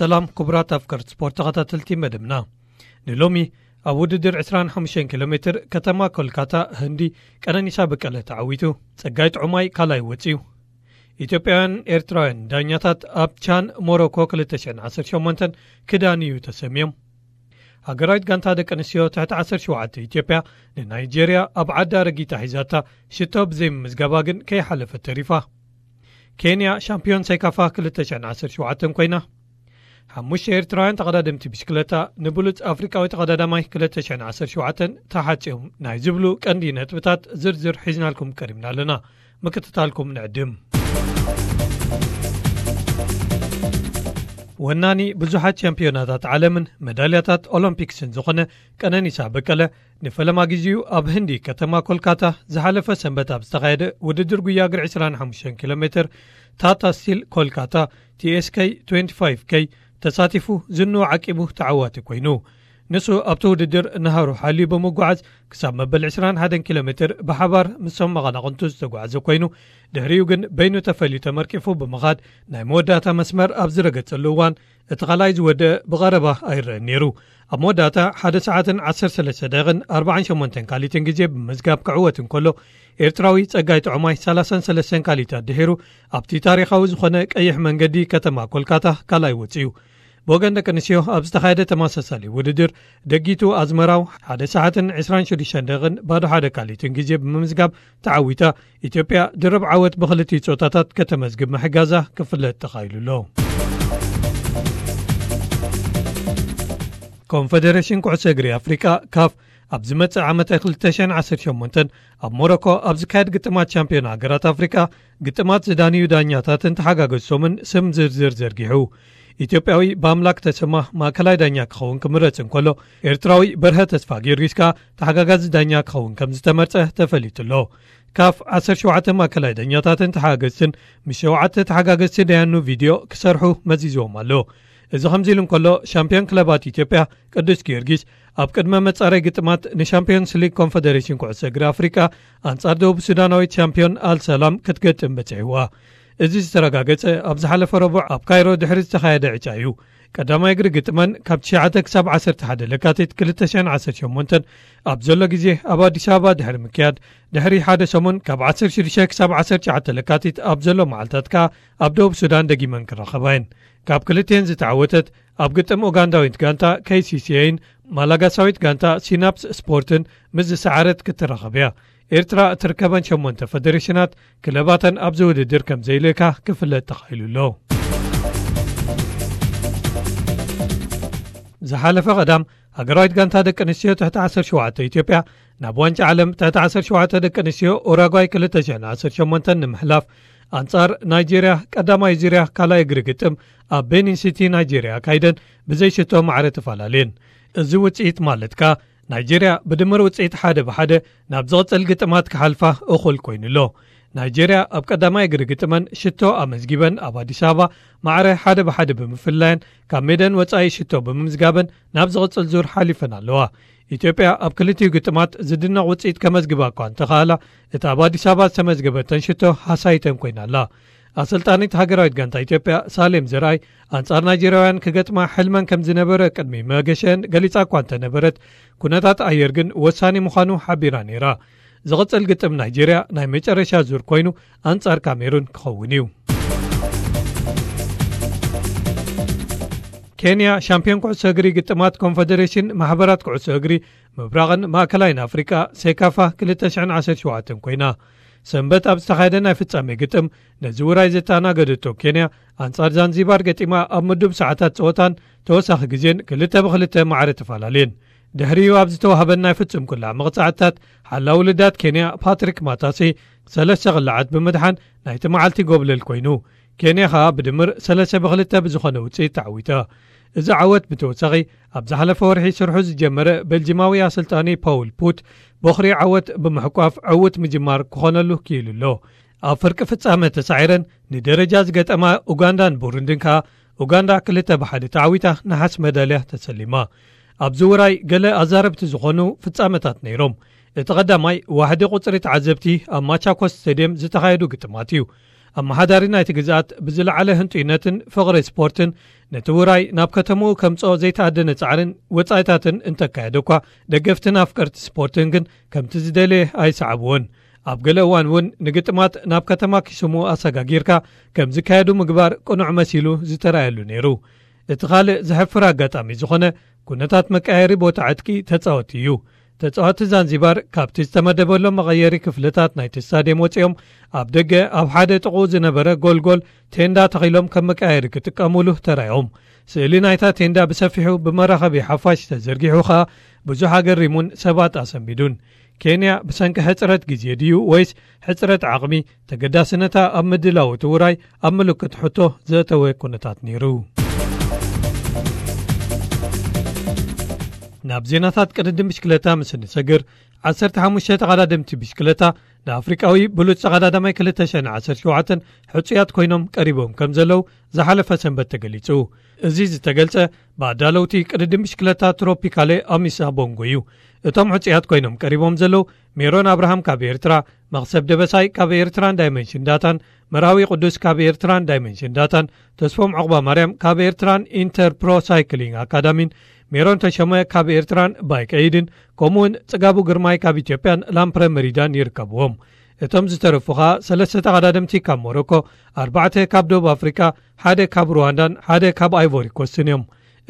ሰላም ክቡራት ኣፍቀርቲ ስፖርት ተኸታተልቲ መደብና። ንሎሚ ኣብ ውድድር ዕስራን ሓሙሽተን ኪሎ ሜትር ከተማ ኮልካታ ህንዲ ቀነኒሳ በቀለ ተዓዊቱ። ጸጋይ ጥዑማይ ካልኣይ ወጺኡ። ኢትዮጵያውያን ኤርትራውያን ዳኛታት ኣብ ቻን ሞሮኮ ክልተ ሽሕን ዓሰርተ ሸሞንተን ክዳንዩ ተሰምዮም። ሃገራዊት ጋንታ ደቂ ኣንስትዮ ትሕቲ ዓሰርተ ሸውዓተ ኢትዮጵያ ንናይጄርያ ኣብ ዓዳ ረጊጣ ሒዛታ ሽቶ ብዘይምምዝጋባ ግን ከይሓለፈት ተሪፋ። ኬንያ ሻምፒዮን ሴካፋ ክልተ ሽሕን ዓሰርተ ሸውዓተን ኮይና። ሓሙሽተ ኤርትራውያን ተቐዳደምቲ ብሽክለታ ንብሉጽ ኣፍሪቃዊ ተቐዳዳማይ ክልተ ሽሕን ዓሰርተ ሸውዓተን ተሓጽዮም ናይ ዝብሉ ቀንዲ ነጥብታት ዝርዝር ሒዝናልኩም ቀሪብና ኣለና። ምክትታልኩም ንዕድም። ወናኒ ብዙሓት ቻምፒዮናታት ዓለምን መዳልያታት ኦሎምፒክስን ዝኾነ ቀነኒሳ በቀለ ንፈለማ ግዜኡ ኣብ ህንዲ ከተማ ኮልካታ ዝሓለፈ ሰንበት ኣብ ዝተኻየደ ውድድር ጉያ እግሪ ዕስራን ሓሙሽተን ኪሎ ሜትር ታታ ስቲል ኮልካታ ቲ ኤስ ኬ ትዌንቲ ፋይቭ ኬ ተሳቲፉ ዝንኡ ዓቂቡ ተዓዋቲ ኮይኑ። ንሱ ኣብቲ ውድድር ንሃሩ ሓልዩ ብምጉዓዝ ክሳብ መበል ዕስራን ሓደን ኪሎ ሜትር ብሓባር ምስቶም መቐናቕንቱ ዝተጓዓዘ ኮይኑ፣ ድሕሪኡ ግን በይኑ ተፈልዩ ተመርቂፉ ብምኻድ ናይ መወዳእታ መስመር ኣብ ዝረገጸሉ እዋን እቲ ካልኣይ ዝወደአ ብቐረባ ኣይረአን ነይሩ። ኣብ መወዳእታ ሓደ ሰዓትን ዓሰርተ ሰለስተ ደቂቕን ኣርባዓን ሸሞንተን ካሊትን ግዜ ብምዝጋብ ክዕወት እንከሎ፣ ኤርትራዊ ጸጋይ ጥዑማይ ሰላሳን ሰለስተን ካሊታት ድሒሩ ኣብቲ ታሪኻዊ ዝኾነ ቀይሕ መንገዲ ከተማ ኮልካታ ካልኣይ ወጺኡ። ብወገን ደቂ ኣንስትዮ ኣብ ዝተኻየደ ተመሳሳሊ ውድድር፣ ደጊቱ ኣዝመራው ሓደ ሰዓትን ዕስራን ሽዱሽተን ደቂቕን ባዶ ሓደ ካሊትን ግዜ ብምምዝጋብ ተዓዊታ፣ ኢትዮጵያ ድርብ ዓወት ብኽልቲኡ ጾታታት ከተመዝግብ ምሕጋዛ ክፍለጥ ተኻኢሉ ኣሎ። ኮንፈደሬሽን ኩዕሶ እግሪ ኣፍሪቃ፣ ካፍ፣ ኣብ ዝመጽእ ዓመት ክልተ ሽሕን ዓሰርተ ሸሞንተን ኣብ ሞሮኮ ኣብ ዝካየድ ግጥማት ቻምፒዮን ሃገራት ኣፍሪቃ፣ ግጥማት ዝዳንዩ ዳኛታትን ተሓጋገዝቶምን ስም ዝርዝር ዘርጊሑ። ኢትዮጵያዊ ብኣምላክ ተሰማ ማእከላይ ዳኛ ክኸውን ክምረጽ እንከሎ፣ ኤርትራዊ በርሀ ተስፋ ጊዮርጊስ ከኣ ተሓጋጋዚ ዳኛ ክኸውን ከም ዝተመርጸ ተፈሊጡ ኣሎ። ካፍ ዓሰርተ ሸውዓተ ማእከላይ ዳኛታትን ተሓጋገዝትን ምስ ሸውዓተ ተሓጋገዝቲ ደያኑ ቪድዮ ክሰርሑ መዚዝዎም ኣሎ። እዚ ከምዚ ኢሉ እንከሎ፣ ሻምፒዮን ክለባት ኢትዮጵያ ቅዱስ ጊዮርጊስ ኣብ ቅድመ መጻረይ ግጥማት ንሻምፒዮንስ ሊግ ኮንፈደሬሽን ኩዕሶ እግሪ ኣፍሪቃ ኣንጻር ደቡብ ሱዳናዊት ሻምፒዮን ኣል ሰላም ክትገጥም በጺሕዋ። እዚ ዝተረጋገጸ ኣብ ዝሓለፈ ረቡዕ ኣብ ካይሮ ድሕሪ ዝተኻየደ ዕጫ እዩ። ቀዳማይ እግሪ ግጥመን ካብ ትሽዓተ ክሳብ ዓሰርተ ሓደ ለካቲት ክልተ ሽሕን ዓሰርተ ሸሞንተን ኣብ ዘሎ ግዜ ኣብ ኣዲስ ኣበባ ድሕሪ ምክያድ፣ ድሕሪ ሓደ ሰሙን ካብ ዓሰርተ ሽዱሽተ ክሳብ ዓሰርተ ትሽዓተ ለካቲት ኣብ ዘሎ መዓልታት ከኣ ኣብ ደቡብ ሱዳን ደጊመን ክራኸባ እየን። ካብ ክልቲኤን ዝተዓወተት ኣብ ግጥም ኡጋንዳዊት ጋንታ ኬ ሲ ሲ ኤን ማላጋሳዊት ጋንታ ሲናፕስ ስፖርትን ምስ ዝሰዓረት ክትራኸብ እያ። ኤርትራ እትርከበን ሸሞንተ ፈደሬሽናት ክለባተን ኣብዚ ውድድር ከም ዘይልእካ ክፍለጥ ተኻኢሉ ኣሎ። ዝሓለፈ ቀዳም፣ ሃገራዊት ጋንታ ደቂ ኣንስትዮ ትሕቲ ዓሰርተ ሸውዓተ ኢትዮጵያ ናብ ዋንጫ ዓለም ትሕቲ ዓሰርተ ሸውዓተ ደቂ ኣንስትዮ ኡራጓይ ክልተ ሽሕን ዓሰርተ ሸሞንተን ንምሕላፍ ኣንጻር ናይጄርያ ቀዳማይ ዙርያ ካልኣይ እግሪ ግጥም ኣብ ቤኒን ሲቲ ናይጄርያ ኣካይደን ብዘይሽቶ ማዕረ ተፈላለየን። እዚ ውጽኢት ማለት ከኣ ናይጄርያ ብድምር ውጽኢት ሓደ ብሓደ ናብ ዝቕጽል ግጥማት ክሓልፋ እኹል ኮይኑ ኣሎ። ናይጄርያ ኣብ ቀዳማይ እግሪ ግጥመን ሽቶ ኣመዝጊበን ኣብ ኣዲስ ኣበባ ማዕረ ሓደ ብሓደ ብምፍላየን ካብ ሜደን ወጻኢ ሽቶ ብምምዝጋበን ናብ ዝቕጽል ዙር ሓሊፈን ኣለዋ። ኢትዮጵያ ኣብ ክልቲኡ ግጥማት ዝድነቕ ውጽኢት ከመዝግባ እኳ እንተኸኣላ፣ እታ ኣብ ኣዲስ ኣበባ ዝተመዝገበተን ሽቶ ሃሳይተን ኮይና ኣላ። ኣሰልጣኒት ሃገራዊት ጋንታ ኢትዮጵያ ሳሌም ዘርኣይ ኣንጻር ናይጄርያውያን ክገጥማ ሕልመን ከም ዝነበረ ቅድሚ መገሸን ገሊጻ እኳ እንተነበረት፣ ኩነታት ኣየር ግን ወሳኒ ምዃኑ ሓቢራ ነይራ። ዝቕጽል ግጥም ናይጄርያ ናይ መጨረሻ ዙር ኮይኑ ኣንጻር ካሜሩን ክኸውን እዩ። ኬንያ ሻምፒዮን ኩዕሶ እግሪ ግጥማት ኮንፈደሬሽን ማሕበራት ኩዕሶ እግሪ ምብራቕን ማእከላይን ኣፍሪቃ ሴካፋ ክልተ ሽሕን ዓሰርተ ሸውዓተን ኮይና። ሰንበት ኣብ ዝተኻየደ ናይ ፍጻሜ ግጥም ነዚ ውራይ ዘተኣናገደቶ ኬንያ ኣንጻር ዛንዚባር ገጢማ ኣብ ምዱብ ሰዓታት ጸወታን ተወሳኺ ግዜን ክልተ ብክልተ ማዕረ ተፈላለየን። ድሕሪኡ ኣብ ዝተዋህበን ናይ ፍጹም ኩላ መቕጻዕትታት ሓላው ልዳት ኬንያ ፓትሪክ ማታሴ ሰለስተ ቅላዓት ብምድሓን ናይቲ መዓልቲ ጎብለል ኮይኑ፣ ኬንያ ኸኣ ብድምር ሰለስተ ብክልተ ብዝኾነ ውጽኢት ተዓዊታ። እዚ ዓወት ብተወሳኺ ኣብ ዝሓለፈ ወርሒ ስርሑ ዝጀመረ ቤልጂማዊ ኣሰልጣኒ ፓውል ፑት ቦኽሪ ዓወት ብምሕቋፍ ዕዉት ምጅማር ክኾነሉ ክኢሉ ኣሎ። ኣብ ፍርቂ ፍጻመ ተሳዒረን ንደረጃ ዝገጠማ ኡጋንዳን ቡሩንድን ከኣ ኡጋንዳ ክልተ ብሓደ ተዓዊታ ነሓስ መዳልያ ተሰሊማ። ኣብዚ ውራይ ገለ ኣዛረብቲ ዝኾኑ ፍጻመታት ነይሮም። እቲ ቀዳማይ ዋሕዲ ቁጽሪ ተዓዘብቲ ኣብ ማቻኮስ ስቴድየም ዝተኻየዱ ግጥማት እዩ። ኣመሓዳሪ ናይቲ ግዝኣት ብዝለዓለ ህንጡይነትን ፍቕሪ ስፖርትን ነቲ ውራይ ናብ ከተማኡ ከምጽኦ ዘይተኣደነ ጻዕርን ወጻኢታትን እንተካየደ እኳ፣ ደገፍትን ኣፍቀርቲ ስፖርትን ግን ከምቲ ዝደለየ ኣይሰዓብዎን። ኣብ ገለ እዋን እውን ንግጥማት ናብ ከተማ ኪሱሙ ኣሰጋጊርካ ከም ዝካየዱ ምግባር ቅኑዕ መሲሉ ዝተራእየሉ ነይሩ። እቲ ካልእ ዘሕፍር ኣጋጣሚ ዝኾነ ኩነታት መቀያየሪ ቦታ ዕጥቂ ተጻወቲ እዩ። ተጻወቲ ዛንዚባር ካብቲ ዝተመደበሎም መቐየሪ ክፍልታት ናይቲ ስታድየም ወጺኦም ኣብ ደገ ኣብ ሓደ ጥቕኡ ዝነበረ ጎልጎል ቴንዳ ተኺሎም ከም መቀያየሪ ክጥቀሙሉ ተራዮም። ስእሊ ናይታ ቴንዳ ብሰፊሑ ብመራኸቢ ሓፋሽ ተዘርጊሑ ኸኣ ብዙሕ ኣገሪሙን ሰባት ኣሰንቢዱን። ኬንያ ብሰንኪ ሕጽረት ግዜ ድዩ ወይስ ሕጽረት ዓቕሚ ተገዳስነታ ኣብ ምድላው እቲ ውራይ ኣብ ምልክት ሕቶ ዘእተወ ኩነታት ነይሩ። ናብ ዜናታት ቅድድም ብሽክለታ ምስ እንሰግር፣ ዓሰርተ ሓሙሽተ ተቐዳደምቲ ብሽክለታ ንኣፍሪቃዊ ብሉጽ ተቐዳዳማይ ክልተ ሽሕን ዓሰርተ ሸውዓተን ሕጹያት ኮይኖም ቀሪቦም ከም ዘለዉ ዝሓለፈ ሰንበት ተገሊጹ። እዚ ዝተገልጸ ብኣዳለውቲ ቅድድም ብሽክለታ ትሮፒካሌ ኣሚሳ ቦንጎ እዩ። እቶም ሕጹያት ኮይኖም ቀሪቦም ዘለዉ ሜሮን ኣብርሃም ካብ ኤርትራ፣ መኽሰብ ደበሳይ ካብ ኤርትራን ዳይመንሽን ዳታን፣ መራዊ ቅዱስ ካብ ኤርትራን ዳይመንሽን ዳታን፣ ተስፎም ዑቕባ ማርያም ካብ ኤርትራን ኢንተር ፕሮ ሳይክሊንግ ኣካዳሚን፣ ሜሮን ተሸመ ካብ ኤርትራን ባይክ ኤይድን፣ ከምኡውን ጽጋቡ ግርማይ ካብ ኢትዮጵያን ላምፕረ መሪዳን ይርከብዎም። እቶም ዝተረፉ ኸኣ ሰለስተ ተቐዳደምቲ ካብ ሞሮኮ፣ ኣርባዕተ ካብ ደቡብ ኣፍሪቃ፣ ሓደ ካብ ሩዋንዳን ሓደ ካብ ኣይቮሪ ኮስትን እዮም።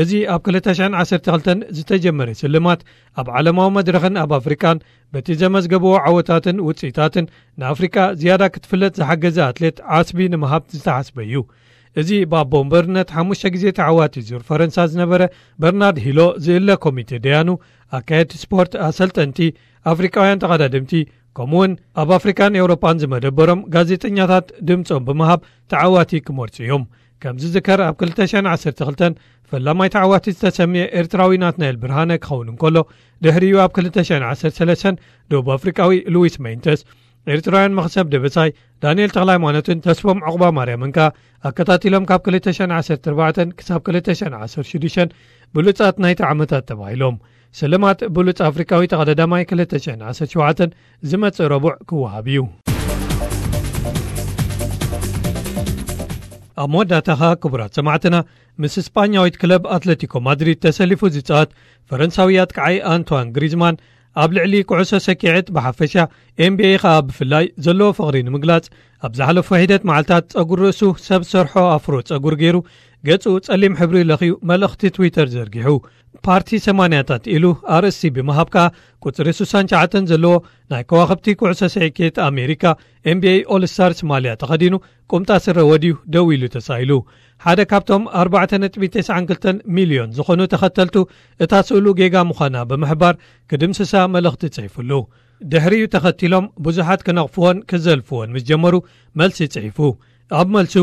እዚ ኣብ ክልተ ሽሕን ዓሰርተ ክልተን ዝተጀመረ ስልማት ኣብ ዓለማዊ መድረኽን ኣብ ኣፍሪቃን በቲ ዘመዝገብዎ ዓወታትን ውጽኢታትን ንኣፍሪቃ ዝያዳ ክትፍለጥ ዝሓገዘ ኣትሌት ዓስቢ ንምሃብ ዝተሓስበ እዩ። እዚ ብኣቦ ወንበርነት ሓሙሽተ ግዜ ተዓዋቲ ዙር ፈረንሳ ዝነበረ በርናርድ ሂሎ ዝእለ ኮሚቴ ደያኑ፣ ኣካየድቲ ስፖርት፣ ኣሰልጠንቲ፣ ኣፍሪቃውያን ተቐዳደምቲ፣ ከምኡውን ኣብ ኣፍሪካን ኤውሮጳን ዝመደበሮም ጋዜጠኛታት ድምጾም ብምሃብ ተዓዋቲ ክመርጹ እዮም። ከም ዝዝከር ኣብ ክልተ ሽሕን ዓሰርተ ክልተን ፈላማይ ተዓዋቲ ዝተሰምየ ኤርትራዊ ናትናኤል ብርሃነ ክኸውን እንከሎ፣ ድሕሪኡ ኣብ ክልተ ሽሕን ዓሰርተ ሰለስተን ደቡብ ኣፍሪቃዊ ሉዊስ ሜንተስ፣ ኤርትራውያን መኽሰብ ደበሳይ፣ ዳንኤል ተኽለ ሃይማኖትን ተስፎም ዑቕባ ማርያምን ከኣ ኣከታቲሎም ካብ ክልተ ሽሕን ዓሰርተ ኣርባዕተን ክሳብ ክልተ ሽሕን ዓሰርተ ሽዱሽተን ብሉጻት ናይቲ ዓመታት ተባሂሎም። ስልማት ብሉጽ ኣፍሪቃዊ ተቐዳዳማይ ክልተ ሽሕን ዓሰርተ ሸውዓተን ዝመጽእ ረቡዕ ክወሃብ እዩ። ኣብ መወዳእታ ኸኣ ክቡራት ሰማዕትና፣ ምስ ስጳኛዊት ክለብ ኣትለቲኮ ማድሪድ ተሰሊፉ ዝጻወት ፈረንሳዊ ኣጥቃዓይ ኣንቷን ግሪዝማን ኣብ ልዕሊ ኩዕሶ ሰኪዐት ብሓፈሻ፣ ኤን ቢ ኤ ኸኣ ብፍላይ ዘለዎ ፍቕሪ ንምግላጽ፣ ኣብ ዝሓለፉ ሒደት መዓልታት ጸጉሪ ርእሱ ሰብ ሰርሖ ኣፍሮ ጸጉሪ ገይሩ፣ ገጹ ጸሊም ሕብሪ ለኽዩ መልእኽቲ ትዊተር ዘርጊሑ። ፓርቲ ሰማንያታት ኢሉ ኣርእስቲ ብምሃብ ከኣ፣ ቁጽሪ ስሳን ትሽዓተን ዘለዎ ናይ ከዋኽብቲ ኩዕሶ ሰኪዐት ኣሜሪካ፣ ኤን ቢ ኤ ኦል ስታርስ ማልያ ተኸዲኑ፣ ቁምጣ ስረ ወድዩ ደው ኢሉ ተሳኢሉ። ሓደ ካብቶም ኣርባዕተ ነጥቢ ተስዓን ክልተን ሚልዮን ዝኾኑ ተኸተልቱ እታ ስእሉ ጌጋ ምዃና ብምሕባር ክድምስሳ መልእኽቲ ጽሒፉሉ። ድሕሪኡ ተኸቲሎም ብዙሓት ክነቕፍዎን ክዘልፍዎን ምስ ጀመሩ መልሲ ጽሒፉ። ኣብ መልሱ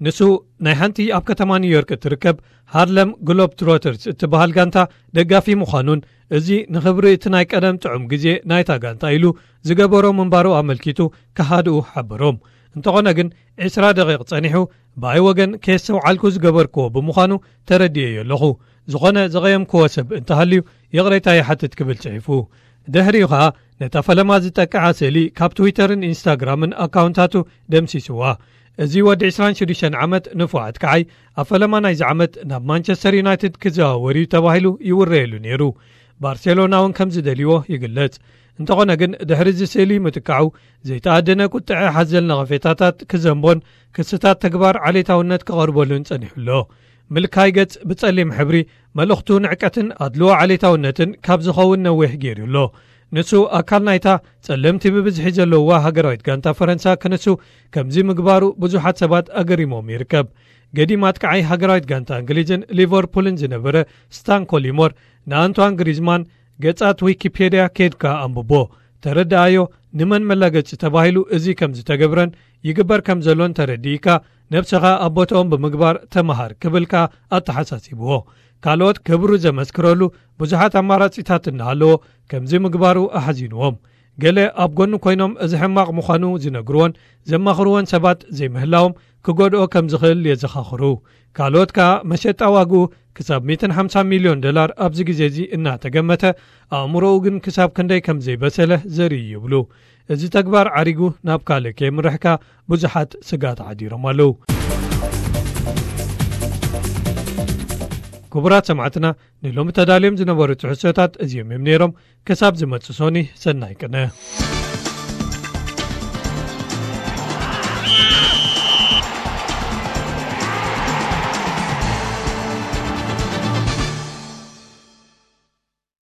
ንሱ ናይ ሓንቲ ኣብ ከተማ ኒውዮርክ እትርከብ ሃርለም ግሎብ ትሮተርስ እትበሃል ጋንታ ደጋፊ ምዃኑን እዚ ንኽብሪ እቲ ናይ ቀደም ጥዑም ግዜ ናይታ ጋንታ ኢሉ ዝገበሮ ምንባሩ ኣመልኪቱ ክሃድኡ ሓበሮም። እንተኾነ ግን ዕስራ ደቂቕ ጸኒሑ ብኣይ ወገን ከየስተውዓልኩ ዝገበርክዎ ብምዃኑ ተረዲኤዮ ኣለኹ። ዝኾነ ዘቐየምክዎ ሰብ እንተሃልዩ ይቕሬታ ይሓትት ክብል ጽሒፉ። ድሕሪኡ ኸኣ ነታ ፈለማ ዝጠቅዓ ስእሊ ካብ ትዊተርን ኢንስታግራምን ኣካውንታቱ ደምሲስዋ። እዚ ወዲ ዕስራን ሽዱሽተን ዓመት ንፉዕ ኣጥቃዓይ ኣብ ፈለማ ናይዚ ዓመት ናብ ማንቸስተር ዩናይትድ ክዘዋወር እዩ ተባሂሉ ይውረየሉ ነይሩ። ባርሴሎና እውን ከም ዝደልይዎ ይግለጽ። እንተኾነ ግን ድሕሪ እዚ ስእሊ ምጥቃዑ ዘይተኣደነ ቁጥዐ ሓዘል ነቐፌታታት ክዘንቦን ክስታት ተግባር ዓሌታውነት ክቐርበሉን ጸኒሑ ኣሎ። ምልካይ ገጽ ብጸሊም ሕብሪ መልእኽቱ ንዕቀትን ኣድልዎ ዓሌታውነትን ካብ ዝኸውን ነዊሕ ገይሩ ኣሎ። ንሱ ኣካል ናይታ ጸለምቲ ብብዝሒ ዘለውዋ ሃገራዊት ጋንታ ፈረንሳ ክንሱ ከምዚ ምግባሩ ብዙሓት ሰባት ኣገሪሞም ይርከብ። ገዲም ኣጥቃዓይ ሃገራዊት ጋንታ እንግሊዝን ሊቨርፑልን ዝነበረ ስታን ኮሊሞር ንኣንቷን ግሪዝማን ገጻት ዊኪፔድያ ኬድካ ኣንብቦ፣ ተረድኣዮ፣ ንመን መላገጺ ተባሂሉ እዚ ከም ዝተገብረን ይግበር ከም ዘሎን ተረዲእካ፣ ነብስኻ ኣብ ቦታኦም ብምግባር ተመሃር ክብል ከኣ ኣተሓሳሲብዎ። ካልኦት ክብሩ ዘመስክረሉ ብዙሓት ኣማራጺታት እናሃለዎ ከምዚ ምግባሩ ኣሕዚንዎም። ገለ ኣብ ጎኑ ኮይኖም እዚ ሕማቕ ምዃኑ ዝነግርዎን ዘማኽርዎን ሰባት ዘይምህላዎም ክጎድኦ ከም ዝኽእል የዘኻኽሩ። ካልኦት ከኣ መሸጣ ዋግኡ ክሳብ ሚእትን ሓምሳን ሚልዮን ዶላር ኣብዚ ግዜ እዚ እናተገመተ፣ ኣእምሮኡ ግን ክሳብ ክንደይ ከም ዘይበሰለ ዘርኢ እዩ ይብሉ። እዚ ተግባር ዓሪጉ ናብ ካልእ ከየምርሕካ ብዙሓት ስጋት ዓዲሮም ኣለዉ። ክቡራት ሰማዕትና፣ ንሎሚ ተዳልዮም ዝነበሩ ትሕዝቶታት እዚኦም እዮም ነይሮም። ክሳብ ዝመጽእ ሶኒ፣ ሰናይ ቅነ።